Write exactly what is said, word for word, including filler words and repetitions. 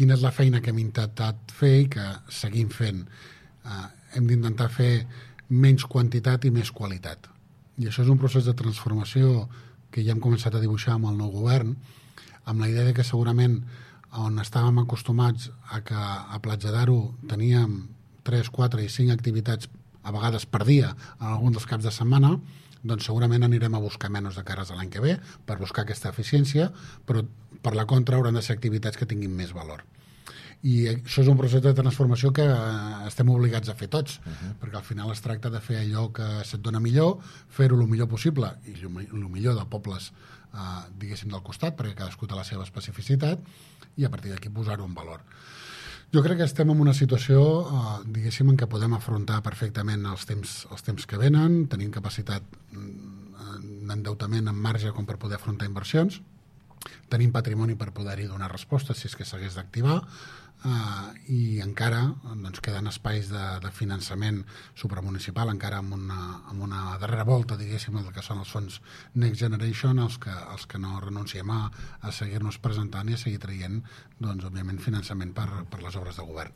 quina és la feina que hem intentat fer i que seguim fent. Uh, hem d'intentar fer menys quantitat i més qualitat. I això és un procés de transformació que ja hem començat a dibuixar amb el nou govern, amb la idea de que segurament on estàvem acostumats a que a Platja d'Aro teníem tres, quatre i cinc activitats a vegades per dia en algun dels caps de setmana, doncs segurament anirem a buscar menys de cares l'any que ve per buscar aquesta eficiència, però per la contra hauran de ser activitats que tinguin més valor. I això és un procés de transformació que estem obligats a fer tots, uh-huh. perquè al final es tracta de fer allò que se't dona millor, fer-ho el millor possible i el millor de pobles eh, diguéssim del costat, perquè cadascú té la seva especificitat, i a partir d'aquí posar-ho en valor. Jo crec que estem en una situació, eh, diguéssim, en què podem afrontar perfectament els temps, els temps que venen, tenim capacitat d'endeutament en marge com per poder afrontar inversions, tenim patrimoni per poder-hi donar resposta si és que s'hagués d'activar, Uh, i encara doncs, queden espais de, de finançament supramunicipal, encara amb una, amb una darrera volta, diguéssim, el que són els fons Next Generation, els que, els que no renunciem a, a seguir-nos presentant i a seguir traient, doncs, òbviament, finançament per, per les obres de govern.